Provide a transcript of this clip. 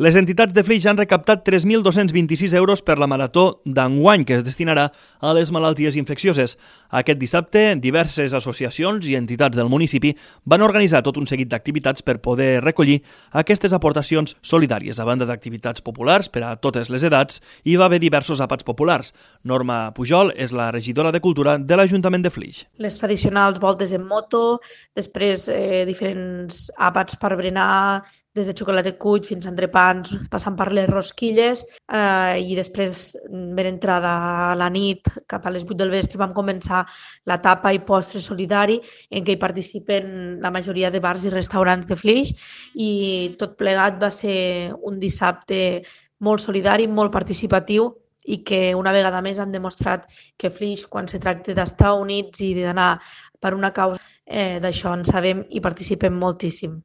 Les entitats de Flix han recaptat 3.226 euros per la marató d'enguany, que es destinarà a les malalties infeccioses. Aquest dissabte, diverses associacions i entitats del municipi van organitzar tot un seguit d'activitats per poder recollir aquestes aportacions solidàries. A banda d'activitats populars per a totes les edats, hi va haver diversos àpats populars. Norma Pujol és la regidora de Cultura de l'Ajuntament de Flix. Les tradicionals voltes en moto, després diferents àpats per berenar, des de xocolata cuit fins a entrepans, passant per les rosquilles, i després, ben entrada a la nit, cap a les 8 del vespre, vam començar la tapa i postre solidari, en què hi participen la majoria de bars i restaurants de Flix, i tot plegat va ser un dissabte molt solidari, molt participatiu, i que una vegada més han demostrat que Flix, quan se tracta d'estar units i d'anar per una causa, d'això en sabem i participem moltíssim.